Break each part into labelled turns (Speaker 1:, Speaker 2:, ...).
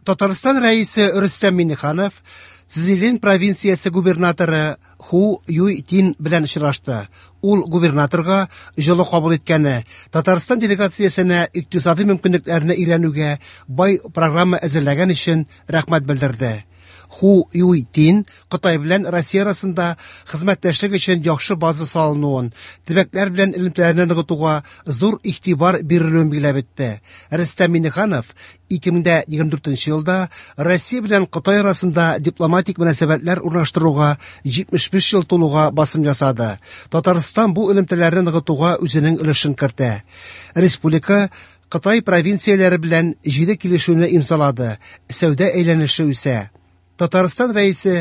Speaker 1: Татарстан Рәисе Рөстәм Миңнеханов Цзилин провинциясе губернаторы Ху Юй Тин белән очрашты. Ул губернаторга җылы кабул иткәне, Татарстан делегациясенә икътисади мөмкинлекләрне өйрәнүгә бай программа әзерләгән өчен рәхмәт белдерде. Ху Юй Тин Кытай белән Россия арасында хезмәттәшлек өчен яхшы база салынуын, төбәкләр белән элемтәләрне ныгытуга зур игътибар бирелүен билгеләп үтте. Рөстәм Миңнеханов 2024 елда Россия белән Кытай арасында дипломатик мөнәсәбәтләр урнаштыруга 75 ел тулуга басым ясады. Татарстан бу элемтәләрне ныгытуга үзенең өлешен кертә. Республика Кытай провинцияләре белән җиде килешүне имзалады, сәүдә әйләнеше үсә. Татарстан Рәисе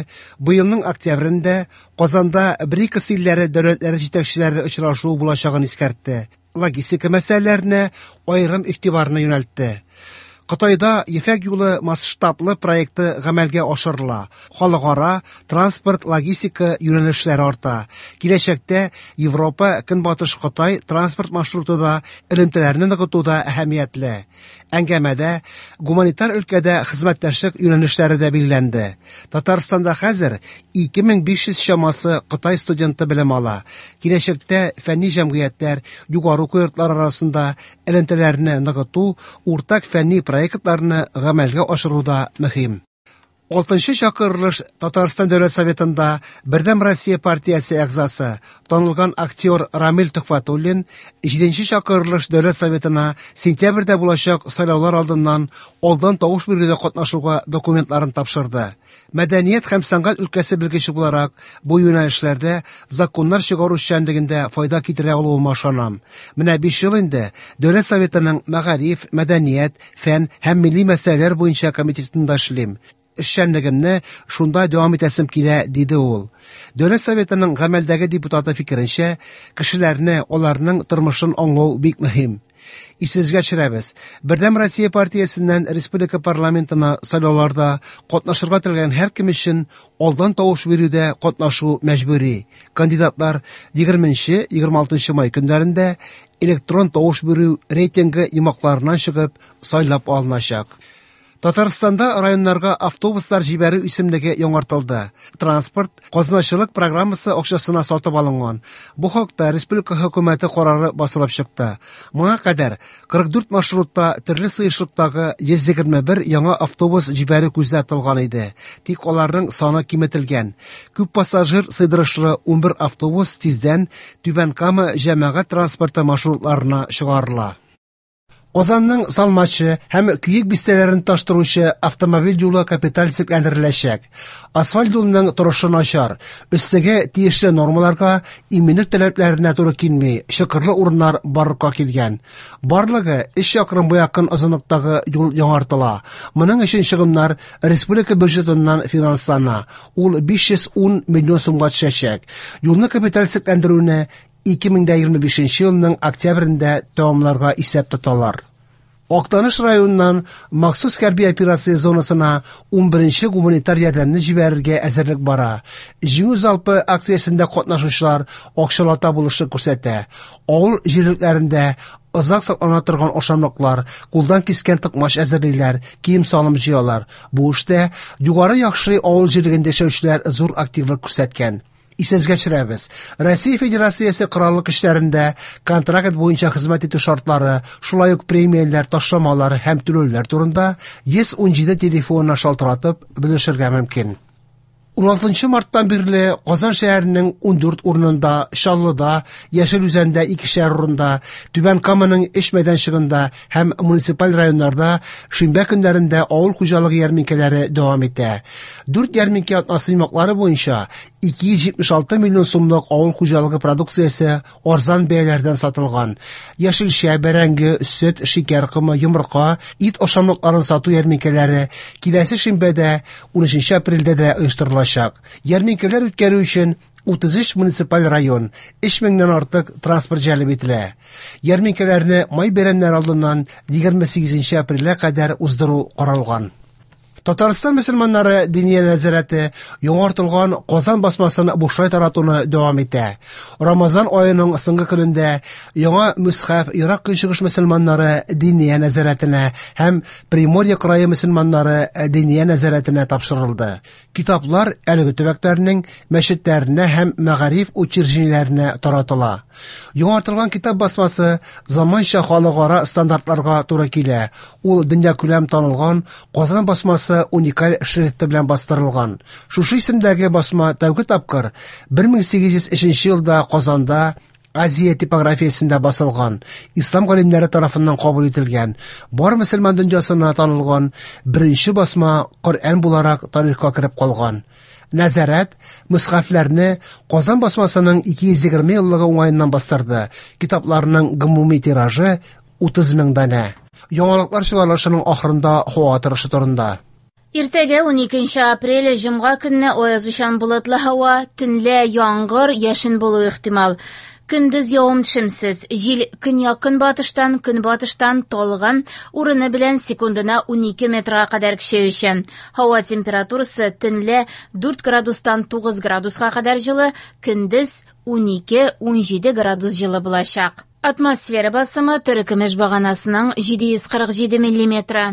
Speaker 1: быелның октябрендә Казанда БРИКС илләре дәүләтләре җитәкчеләре очрашуы булачагын искәртте. Логистика мәсьәләләренә аерым игътибарны юнәлтте. Кытайда Ефәк юлы масштаблы проекты гамәлгә ашырыла. Халыкара транспорт-логистика юнәлешләре арта. Киләчәктә Европа Көнбатыш Кытай транспорт маршруты да элемтәләрне ныгытуда әһәмиятле. Әңгәмәдә гуманитар өлкәдә хезмәттәшлек юнәлешләре дә билгеләнде. Татарстанда хәзер 2500 чамасы Кытай студенты белем ала. Киләчәктә фәнни җәмгыятьләр, югары уку йортлары арасында элемтәләрне ныгыту, уртак фәнни проектларны гамәлгә ашыру да мөһим. Алтынчы чакырылыш Татарстан Дәүләт Советында Бердәм Россия партиясе әгъзасы, танылган актер Рамил Төхвәтуллин җиденче чакырылыш Дәүләт Советына сентябрьдә булачак сайлаулар алдыннан алдан тавыш бирүдә катнашуга документларын тапшырды. Мәдәният һәм сәнгать өлкәсе белгече буларак, бу юнәлешләрдә законнар чыгару эшчәнлегендә файда китерә алуыма ышанам. Менә 5 ел инде Дәүләт Советының мәгариф, мәдәният, фән һәм милли мәсьәләләр буенча комитетында эшлим. Эшчәнлегемне шунда дәвам итәсем килә, диде ул. Дәүләт Советының гамәлдәге депутаты фикеренчә, кешеләрне, аларның тормышын аңлау бик мөһим. Исегезгә төшерәбез, Бердәм Россия партиясеннән республика парламентына сайлауларда катнашырга теләгән һәркем өчен алдан тавыш бирүдә катнашу мәҗбүри. Кандидатлар 20-26 май көннәрендә электрон тавыш бирү рейтингы йомгакларыннан чыгып сайлап алыначак. Татарстанда районнарга автобуслар җибәрү исемлеге яңартылды. Транспорт казначылык программасы акчасына сатып алынган. Бу хакта республика хөкүмәте карары басылып чыкты. Моңа кадәр 44 маршрутта төрле сыешлыктагы 121 яңа автобус җибәрү күздә тотылган иде. Тик аларның саны киметелгән. Күп пассажир сыйдырышлы 11 автобус тиздән Түбән Кама җәмәгать транспорты маршрутларына чыгарыла. Казанның Салмачы һәм Көек бистәләрен тоташтыручы автомобиль юлы капиталь төзекләндереләчәк. Асфальт юлының торышы начар, өслеге тиешле нормаларга, иминлек таләпләренә туры килми, чокырлы урыннар барлыкка килгән. Барлыгы 3 чакрымга якын озынлыктагы юл яңартыла. Моның өчен чыгымнар республика бюджетыннан финанслана. Ул 510 миллион сумга төшәчәк. Юлны капиталь төзекләндерүне 2025 елның октябрендә тәмамларга исәп тоталар. Актаныш районыннан махсус хәрби операция зонасына 11нче гуманитар ярдәмне җибәрергә әзерлек бара. Җиңү залпы акциясендә катнашучылар акчалата булышлык күрсәтә. Авыл җирлекләрендә озак саклана торган ашамлыклар, кулдан кискән токмач әзерлиләр, кием-салым җыялар. Бу эштә Югары Яхшый авыл җирлегендә яшәүчеләр зур активлык күрсәткән. Исегезгә төшерәбез, Россия Федерациясе Кораллы көчләрендә контракт буенча хезмәт итү шартлары, шулай ук премияләр, ташламалар һәм түләүләр турында 117 телефонына шалтыратып белешергә мөмкин. 16 марттан бирле Казан шәһәренең 14 урынында, Чаллыда, Яшел Үзәндә икешәр урында, Түбән Каманың өч мәйданчыгында һәм муниципаль районнарда шимбә көннәрендә авыл хуҗалыгы ярминкәләре дәвам итә. Дүрт ярминкә атнасы йомгаклары буенча 276 миллион сумлык авыл хуҗалыгы продукциясе арзан бәяләрдән сатылган. Яшелчә, бәрәңге, сөт, шикәр комы, йомырка, ит ашамлыкларын сату ярминкәләре киләсе шимбәдә 13 апрельдә дә оештырылачак. Ярминкәләр үткәрү өчен 33 муниципаль район, 3 меңнән артык транспорт җәлеп ителә. Ярминкәләрне май бәйрәмнәре алдыннан 28 апрельгә кадәр уздыру каралган. Татарстан мөселманнары Диния нәзарәте яңартылган Казан басмасын бушлай таратуны дәвам итә. Рамазан аеның соңгы көнендә яңа мөсхәф Ерак Көнчыгыш мөселманнары Диния нәзарәтенә һәм Приморье крае мөселманнары Диния нәзарәтенә тапшырылды. Китаплар әлеге төбәкләрнең мәчетләренә һәм мәгариф учреждениеләренә таратыла. Яңартылган китап басмасы заманча халыкара стандартларга туры килә. Ул дөньякүләм танылган Казан басмасы уникаль шрифты белән бастырылган. Шушы исемдәге басма тәүге тапкыр 1803 елда Казанда Азия типографиясендә басылган, ислам галимнәре тарафыннан кабул ителгән, бар мөселман дөньясына танылган беренче басма Коръән буларак тарихка кереп калган. Нәзарәт мөсхәфләрне Казан басмасының 220 еллыгы уңаеннан бастырды. Китапларның гомуми тиражы 30 мең данә. Яңалыклар чыгарылышының ахырында һава торышы турында.
Speaker 2: Иртәгә 12 апрель җомга көнне аязучан болытлы һава, төнлә яңгыр, яшен булуы ихтимал. Көндез явым-төшемсез, җил көньяк-көнбатыштан, көнбатыштан талгын, урыны белән секундына 12 метрга кадәр көчәючән. Һава температурасы төнлә 4 градустан 9 градуска кадәр җылы, көндез 12-17 градус җылы булачак. Атмосфера басымы терекөмеш баганасының 747 миллиметры.